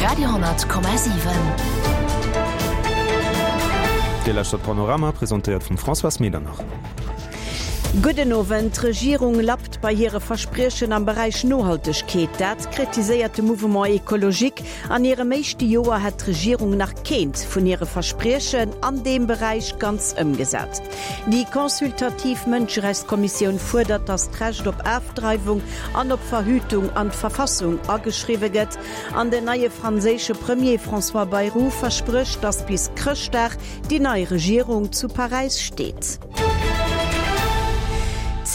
Radio,7. Dir lauschtert Panorama, presentéiert vum Françoise Medernach. Gudden Owend. D'Regierung lappt bei hire Verspriechen am Beräich Nohaltegkeet. Dat kritiséiert de Mouvement Ecologique. An hirem éischte Joer hätt d'Regierung nach keent vun hire Verspriechen an deem Beräich ganz ëmgesat. Déi consultativ Mënscherechtskommissioun fuerdert, datt d'Recht op Afdreiwung an op Verhütung an d'Verfassung ageschriwwe gëtt. An den neie franséische Premier François Bayrou versprécht, datt bis Chrëschtdag déi nei Regierung zu Paräis steet.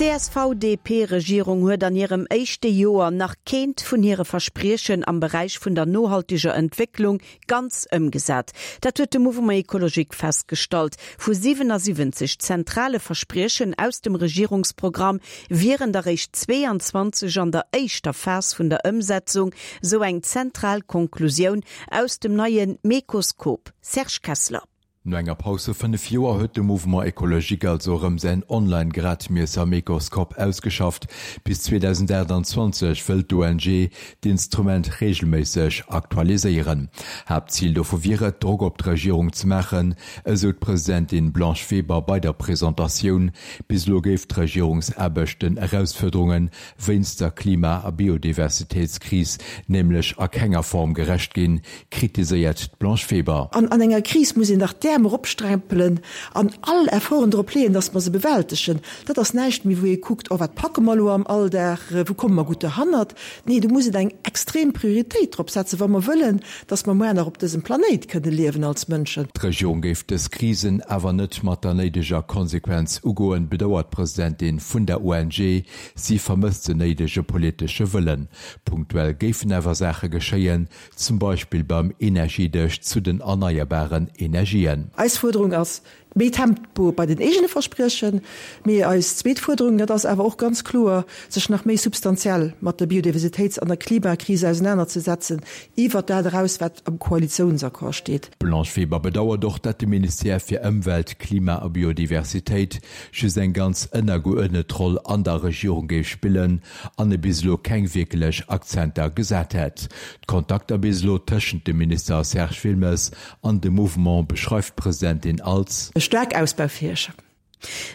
D'CSV-DP-Regierung huet an hirem éischte Joer nach keent vun hire Verspriechen am Beräich vun der nohalteger Entwécklung ganz ëmgesat. Dat huet de Mouvement Ecologique festgestallt. Vu 77 zentrale Verspriechen aus dem Regierungsprogramm wieren der réischt 22 an der éischter Phas vun der Ëmsetzung, sou eng zentral Konklusioun aus dem neie Mecoskop. Serge Kessler. No enger Paus vu 5 Joer huet de Mouvement Ecologique also erëm säin Online-Gradmiesser Mecoskop ausgeschafft. Bis 2028 wëll d'ONG d'Instrument reegelméisseg aktualiséieren. Haaptzil dovu wier et, Drock op d'Regierung ze maachen, esou d'Presidentin Blanche Weber bei der Presentatioun. Bis elo géif d'Regierungsaarbecht den Erausfuerderunge wéinst der Klima a Biodiversitéitskris nämlech a kenger Form gerecht ginn, kritiséiert d'Blanche Weber. An an enger Kris muss een dach d'Äerm eropsträmpelen an all Efforten drop leeën, datt mer se bewältegen. Dat ass näischt méi, wou ee kuckt, oh wat packe mer elo am Alldag, wou komme mer gutt derhannert. Nee, do muss et eng extrem Prioritéit drop setzen, wa mer wëllen, datt mer muar nach op dësem Planéit kënne liewen als Mënschen. D'Regierung géif dës Krisen awer net mat der néideger Konsequenz ugoen, bedauert d'Presidentin vun der ONG. Si vermësst den néidege politesche Wëllen. Punktuell géifen awer Saache geschéien, zum Beispill beim Energiedësch zu den erneierbaren Energien. Eis Fuerderung ass méi Tempo bei den eegene Verspriechen. Mee eis zweet Fuerderung, dat ass awer och ganz kloer, sech nach méi substantiell mat der Biodiversitéits an der Klimakris ausenanerzesetzen, iwwert dat eraus, wat am Koalitiounsaccord steet. D'Blanche Weber bedauert och, datt de Ministère fir Ëmwelt, Klima a Biodiversitéit just eng ganz ënnergeuerdnet Roll an der Regierung géif spillen an e bis elo keng wierklech Akzenter gesat hätt. D'Kontakter bis elo tëschent dem Minister Serge Wilmes an dem Mouvement beschreift d'Presidentin als. Staark ausbaufäeg.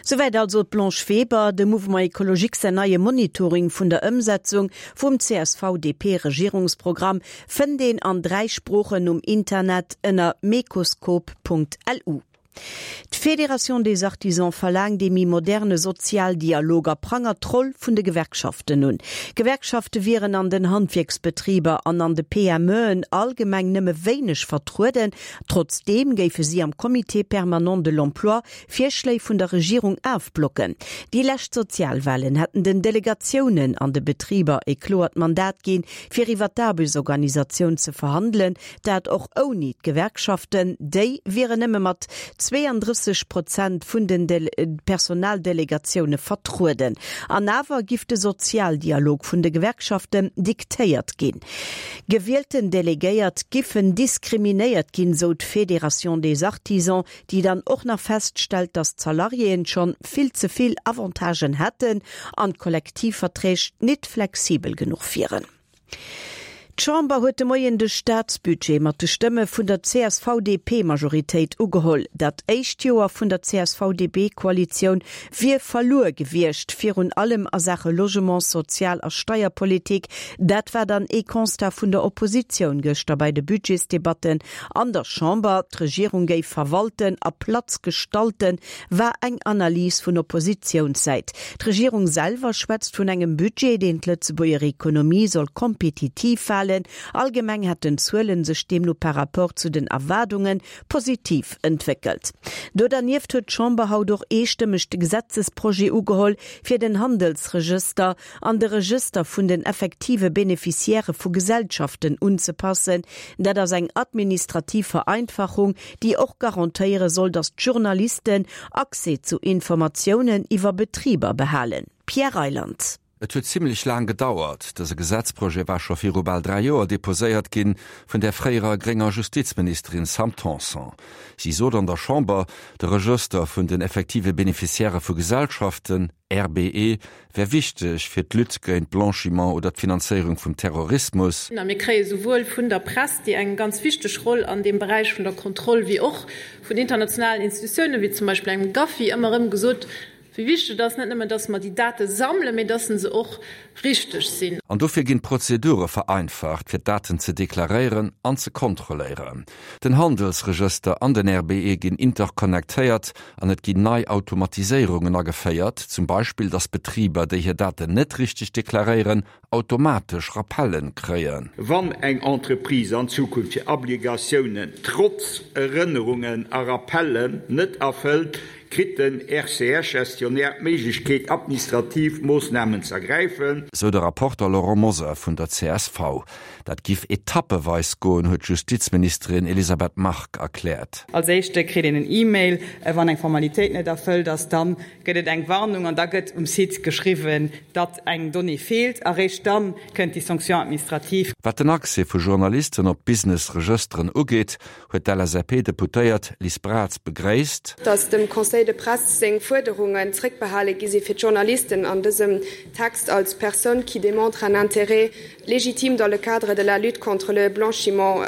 Souwäit also d'Blanche Weber. Dem Mouvement Ecologique säin neie Monitoring vun der Ëmsetzung vum CSV-DP-Regierungsprogramm fënnt een an 3 Sproochen um Internet ënner mecoscope.lu. D'Fédération des Artisans verlaangt ee méi moderne Sozialdialog a prangert d'Roll vun de Gewerkschaften un. Gewerkschafte wieren an den Handwierksbetriber an an de PMEen allgemeng nëmme wéineg vertrueden. Trotzdeem géife si am Comité permanent de l'emploi Virschléi vun der Regierung afblocken. Déi lescht Sozialwahlen hätten den Delegatiounen an de Betriber e kloert Mandat ginn, fir iwwer d'Aarbechtsorganisatioun ze verhandelen. Dat och ouni d'Gewerkschaften. Déi wieren nëmme mat 32 Prozent vun den Personaldelegatioune vertrueden. An awer giff de Sozialdialog vun de Gewerkschaften diktéiert ginn. Gewielten Delegéiert giffen diskriminéiert ginn, sou d'Fédération des Artisans, déi dann och nach feststellt, datt d'Salariéen schonn vill ze vill Avantagen hätten an d'Kollektivverträg nit flexibel genuch wieren. D'Chamber huet de Moien de Staatsbudget mat de Stëmme vun der CSV-DP-Majoritéit ugeholl. Dat éischt Joer vun der CSV-DP-Koalitioun wier verluer gewiescht, virun allem a Saache Logement, Sozial a Steierpolitik. Dat war dann ee Constat vun der Oppositioun gëschter bei de Budgetsdebatten an der Chamber. D'Regierung géif verwalten a Platz gestalten, war eng Analys vun Oppositiounssäit. D'Regierung selwer schwätzt vun engem Budget, deen d'Lëtzebuerger Ekonomie soll kompetitiv halen. Allgemeng hätten d'Zuele sech deemno par rapport zu den Erwaardunge positiv entwéckelt. Do dernieft huet d'Chamber haut och eestëmmeg de Gesetzesprojet ugeholl, fir den Handelsregëster an de Regëster vun den effektive Beneficiairë vu Gesellschaften unzepassen. Dat ass eng administrativ Vereinfachung, déi och garantéiere soll, datt d'Journalisten Accès zu Informatiounen iwwer Betriber behalen. Pierre Reyland. Et huet zimlech laang gedauert. Dëse Gesetzprojet war scho viru bal 3 Joer deposéiert ginn, vun där fréierer grénger Justizministerin Sam Tanson. Si sot an der Chamber, de Regëster vun den effektive Beneficiairë vu Gesellschaften, RBE, wär wichteg fir d'Lutte géint Blanchiment oder d'Finanzéierung vum Terrorismus. A mir kréie souwuel vun der Press, déi eng ganz wichteg Roll an deem Beräich vun der Kontroll, wéi och vun internationalen Institutiounen, wéi zum Beispill engem GAFI, ëmmer erëm gesot, Wéi wichteg et ass, net nëmmen, dass mer déi Date sammelen, mee dass se och richteg sinn. An dofir ginn d'Prozedure vereinfacht, fir d'Daten ze deklaréieren an ze kontrolléieren. Den Handelsregëster an den RBE ginn interconnectéiert an et ginn nei Automatiséierungen ageféiert, zum Beispill, dass Betriber, déi hir Daten net richteg deklaréieren, automatesch Rappellen kréien. Wann eng Entreprise an Zukunft hir Obligatiounen trotz Erënnerungen a Rappellen net erfëllt, kritt den RCH-Gestionnaire d'Méiglechkeet, administrativ Moossnamen z'ergräifen. Sou de Rapporter Laurent Mosar vun der csv. Dat giff etappeweis goen, huet d'Justizministerin Elisabeth Margue erkläert. Als éischte kritt een en E-Mail, wann eng Formalitéit net erfëllt ass. Dann gëtt et eng Warnung an da gëtt um Site geschriwwen, datt eng Donnée feelt. A réischt dann kënnt déi Sanction administrative. Wat den Accès vu Journalisten op d'Business-Regësteren ugeet, huet d'LSAP-Deputéiert Liz Braz begréisst. Datt dem Conseil de presse seng Fuerderungen zréckbehale gi si fir d'Journalisten an dësem Text als personnes qui démontrent un intérêt légitime dans le cadre de la lutte contre le blanchiment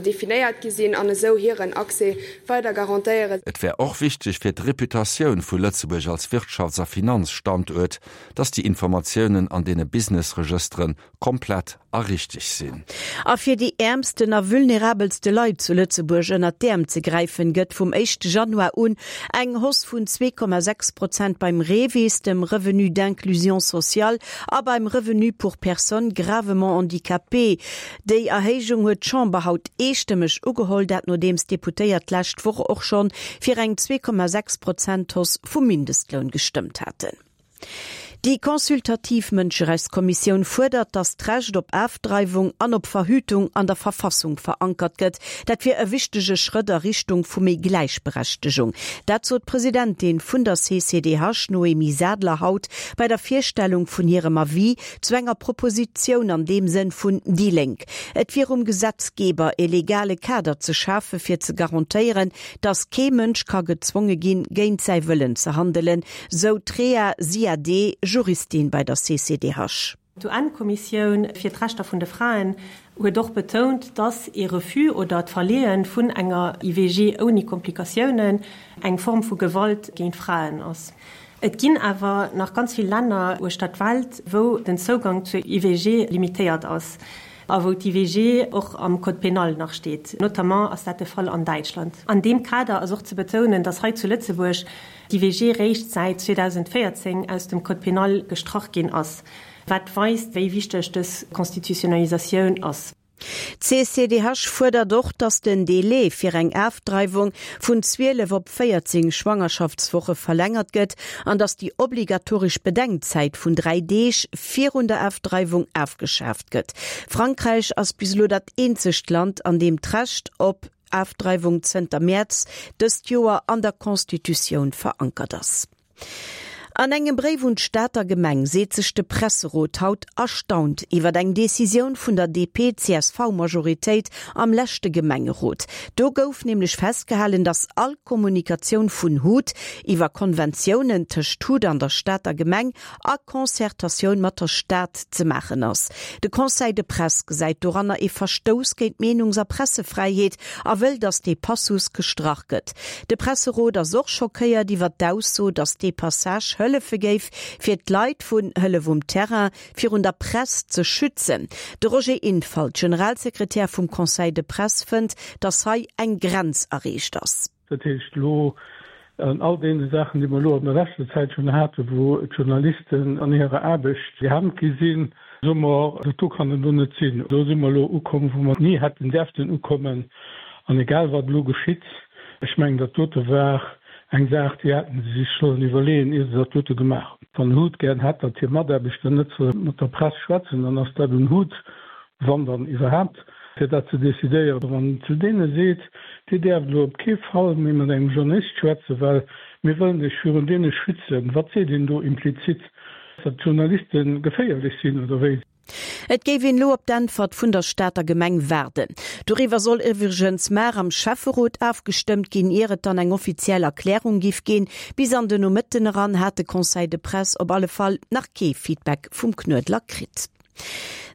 definéiert gi sinn an esou hiren Accès weider garantéieren. Et wär och wichteg fir d'Reputatioun vu Lëtzebuerg als Wirtschafts a Finanzstanduert, datt déi Informatiounen an deene Businessregësteren komplett a richteg sinn. A fir déi äermsten a vulnerabelste Leit zu Lëtzebuerg ënnert d'Äerm ze gräifen, gëtt vum éischte Januar un eng Hausse vun 2,6 Prozent beim REVIS, dem Revenu d'inclusion sociale, a beim Revenu pour personnes gravement handicapées. Déi Erhéijung huet d'Chamber haut eestëmmeg ugeholl, dat nodeems d'Deputéiert d'lescht Woch och schonn fir eng 2,6 Prozent Hausse vum Mindestloun gestëmmt haten. Déi consultativ Mënscherechtskommissioun fuerdert, datt d'Recht op Afdreiwung an op Verhütung an der Verfassung verankert gëtt. Dat wier e wichtege Schrëtt a Richtung vu méi Gläichberechtegung. Dat sot d'Presidentin vun der CCDH, Noémie Sadler, haut bei der Virstellung vun hirem Avis zu enger Propositioun an deem Sënn vun déi Lénk. Et wier um Gesetzgeber, e legale Kader ze schafe fir ze garantéieren, datt kee Mënsch ka gezwonge ginn, géint säi Wëllen ze handelen, Sou d'Rhea Ziadé, Juristin bei der CCDH. D'UN-Kommissioun fir d'Rechter vun de Fraen huet och betount, dass ee Refus oder d'Verleeë vun enger IVG ouni Komplikatiounen eng Form vu Gewalt géint Fraen ass. Et ginn awer nach ganz vill Länner uechter d'Welt, wou den Zougang zur IVG limitéiert ass a wou d'IVG och am Code pénal nach steet. Notamment ass dat de Fall an Däitschland. An deem Kader ass och ze betounen, dass hei zu Lëtzebuerg d'IVG réischt säit 2014 aus dem Code pénal gestrach ginn ass, wat weist, wéi wichteg dës Constitutionnalisatioun ass. D'CCDH fuerdert och, datt den Délai fir eng Afdreiwung vun 12 op 14 Schwangerschaftswoche verlängert gëtt an datt déi obligatoresch Bedenkzäit vun 3 Deeg virun der Afdreiwung afgeschaaft gëtt. Frankräich ass bis elo dat eenzegt Land, an deem d'Recht op Afdreiwung zënter Mäerz dëst Joer an der Constitutioun verankert ass. An engem Bréif un d'Stater Gemeng seet sech de Presserot haut erstaunt iwwer eng Decisioun vun der DP-CSV-Majoritéit am leschte Gemengerot. Do gouf nämlech festgehalen, datt all Kommunikatioun vun hut iwwer Konventiounen tëscht hut an der Stater Gemeng a Concertatioun mat der Stad ze maachen ass. De Conseil de Presse gesäit doranner ee Verstouss géint d'Meenungs a Pressefräiheet a wëll, datt dee Passus gestrach gëtt. De Presserot ass och schockéiert iwwer d'Ausso, datt dee Passage hëllefe géif, fir d'Leit vun Hëllef um Terrain virun der Press ze schützen. De Roger Infalt, Generalsekretär vum Conseil de Presse, fënnt, datt hei eng Grenz erreecht ass. Dat heescht, elo an all deene Saachen, déi mer elo an der leschter Zäit schonn haten, wou d'Journalisten an hirer Aarbecht gehemmt gi sinn, soe mer, dat do kann et elo net sinn. Do si mer elo ukomm, wou mer ni hätten däerften ukommen. An egal wat elo geschitt, ech mengen, dat dote war eng Saach, déi hätte se sech sollen iwwerleeën, ier se dat dote gemaach hunn. Wann hut gären hätt, datt hir Mataarbechter net solle mat der Press schwätzen, dann ass dat un hut, wann dann iwwerhaapt, fir dat ze decidéieren. Wann en zu deene seet, Dir däerft elo op kee Fall méi mat engem Journalist schwätzen, well mir wëllen Iech virun deene schützen, wat seet een do implizit? Datt d'Journaliste geféierlech sinn, oder wéi? Et géif een elo op d'Äntwert vun der Stater Gemeng waarden. Doriwwer soll iwwregens mar am Schäfferot afgestëmmt ginn, ier et dann eng offiziell Erklärung giff ginn. Bis an de Nomëtten eran hat de Conseil de Presse op alle Fall nach kee Feedback vum Knuedler kritt.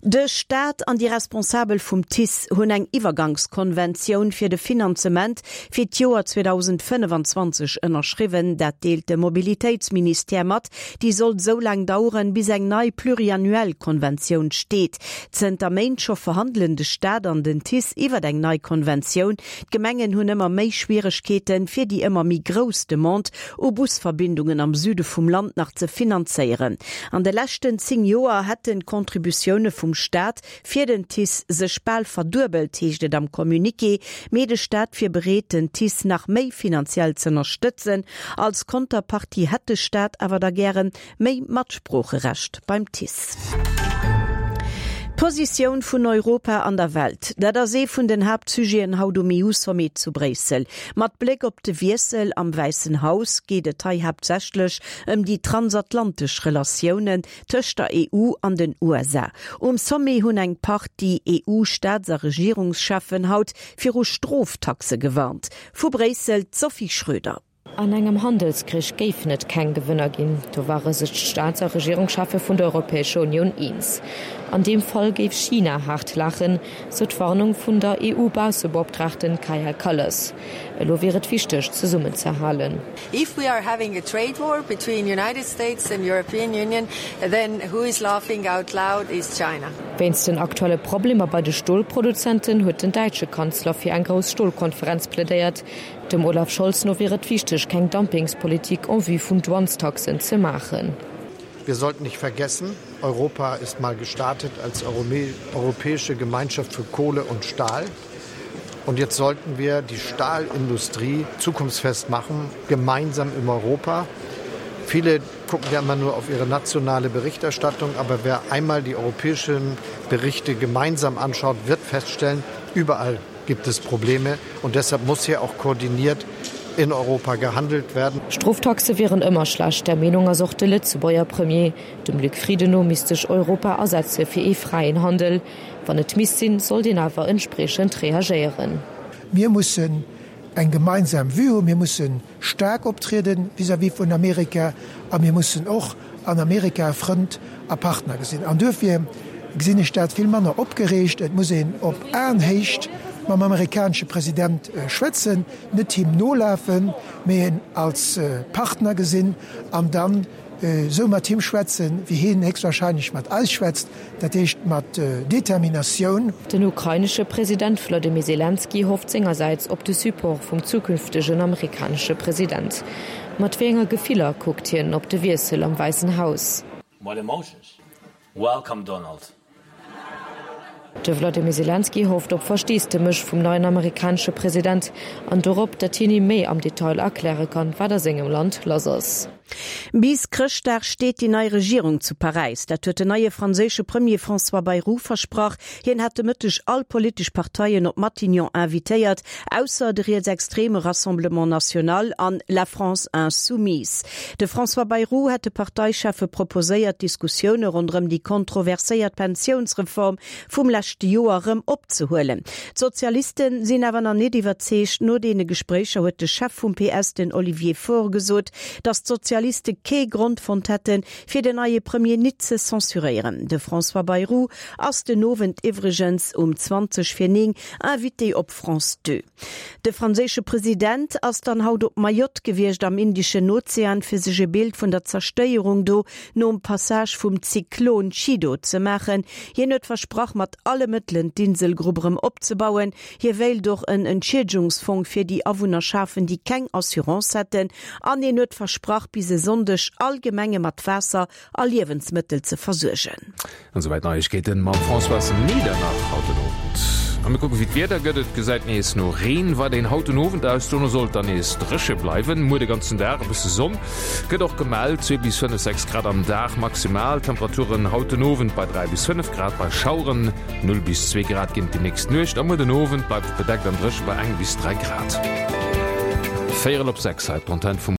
De Staat an déi Responsabel vum TICE hunn eng Iwwergangskonventioun fir de Finanzement fir d'Joer 2025 ënnerschriwwen. Dat deelt de Mobilitéitsministère mat. Déi soll esou laang daueren, bis eng nei pluriannuell Konventioun steet. Zënter Méint scho verhandelen de Staat an den TICE iwwer eng nei Konventioun. D'Gemengen hunn ëmmer méi Schwieregkeeten, fir déi ëmmer méi grouss Demande u Busverbindungen am Süde vum Land nach ze finanzéieren. An de leschten 10 Joer hätten d'Contributioune vum Staat fir den TICE sech bal verduebelt, heescht et am Communiqué. Mee de Staat wier bereet, den TICE nach méi finanziell z'ënnerstëtzen. Als Konterpartie hätt de Staat awer da gären Méi Matsproocherecht beim TICE. D'Positioun vun Europa an der Welt, dat ass ee vun den Haaptsujeten haut um EU-Sommet zu Bréissel. Mat Bléck op de Wiessel am Wäissen Haus geet et hei haaptsächlech ëm déi transatlantesch Relatiounen tëscht der EU an den USA. Um Sommet hunn eng Partie EU-Staats a Regierungscheffen haut viru Stroftaxe gewarnt. Vu Bréissel d'Sophie Schröder. An engem Handelskrich géifen et keng Gewënner ginn, do ware sech d'Staats a Regierungscheffe vun der Europäescher Unioun eens. An deem Fall géif China haart laachen, sou d'Warnung vun der EU-Baussebeoptraagten Kaja Kallas. Elo wier et wichteg, zesummenzehalen. If we are having a trade war between United States and European Union, then who is laughing out loud is China. Wéinst den aktuelle Problemer bei de Stolproduzenten huet den däitsche Kanzler fir eng grouss Stolkonferenz plädéiert. Dem Olaf Scholz no wier et wichteg, keng Dumpingspolitik en vue vun Douanestaxen ze maachen. Wir sollten nicht vergessen, Europa ist mal gestartet als europäische Gemeinschaft für Kohle und Stahl. Und jetzt sollten wir die Stahlindustrie zukunftsfest machen, gemeinsam im Europa. Viele gucken ja immer nur auf ihre nationale Berichterstattung, aber wer einmal die europäischen Berichte gemeinsam anschaut, wird feststellen, überall gibt es Probleme und deshalb muss hier auch koordiniert in Europa gehandelt werden. Stroftaxe wieren ëmmer schlecht, där Meenung ass och de Lëtzebuerger Premier. Dem Luc Frieden no misst sech Europa asetze fir ee fräien Handel. Wann et misst sinn, sollt een awer entspriechend reagéieren. Mir mussen eng gemeinsam Vue hunn, mir musse staark optriede vis-à-vis vun Amerika a mir mussen och an Amerika Frënd a Partner gesinn. An duerfir gesinn ech dat vill manner opgereegt. Et muss een op Aenhéicht mam amerikanesche President schwätzen, net him nolafen, mee en als Partner gesinn an dann esou mat him schwätzen, wéi hien héchstwahrscheinlech mat eis schwätzt, dat heescht mat Determinatioun. Den ukrainesche President Wladimir Selenskyj hofft sengersäits op de Support vum zukünftegen amerikanesche President. Mat wéi enger Gefiller kuckt hien op de Wiessel am Wäissen Haus? What emotions? Welcome Donald! De Wladimir Selenskyj hofft op Versteesdemech vum neien amerikanesche President an dorop, datt hien him méi am Detail erkläre kann, wat a sengem Land lass ass. Bis Chrëschtdag steet déi nei Regierung zu Paräis. Dat huet den neie franséische Premier François Bayrou versprach. Hien hat de Mëtteg all politesch Parteien op Matignon invitéiert, ausser de rietsextreme Rassemblement National an La France Insoumise. De François Bayrou hätt de Parteicheffe proposéiert, d'Diskussioune ronderëm déi kontroverséiert Pensiounsreform vum leschte Joer erëm opzehuelen. D'Sozialiste sinn awer nach net iwwerzeegt. No deene Gespréicher huet de Chef vum PS, den Olivier Faure, gesot, datt d'Sozialiste kee Grond fonnt hätten, fir den neie Premier nit ze censuréieren. De François Bayrou ass den Owend iwwregens um 20 vir 9 Invité op France 2. De franséische President ass dann haut op Mayotte gewiescht am Indeschen Ozean, fir sech e Bild vun der Zerstéierung do nom Passage vum Zyklon Chido ze maachen. Hien huet versprach, mat alle Mëttelen d'Inselgrupp erëm opzebauen. Hie wéilt och en Entschiedegungsfong fir déi Awunner schafen, déi keng Assurance hätten. An hien huet versprach, bis e Sonndeg all Gemenge mat Waasser a Liewensmëttel ze versuergen. An esouwäit Neiegkeeten mam Françoise Medernach haut den Owend. A mir kucken, wéi d'Wieder gëtt. Et gesäit nees no Reen weiderhin haut den Owend aus, dono soll et dann nees dréche bleiwen. Muer de ganzen Dag e bësse Sonn gëtt och gemellt, 2 bis 5, 6 Grad am Dag. Maximaltemperaturen haut den Owend bei 3 bis 5 Grad, bei Schaueren 0 bis 2 Grad ginn et déi nächst Nuecht. A muer den Owend bleift et bedeckt an dréche bei 1 bis 3 Grad. Véierel op 6 hei op d'Antenn vum.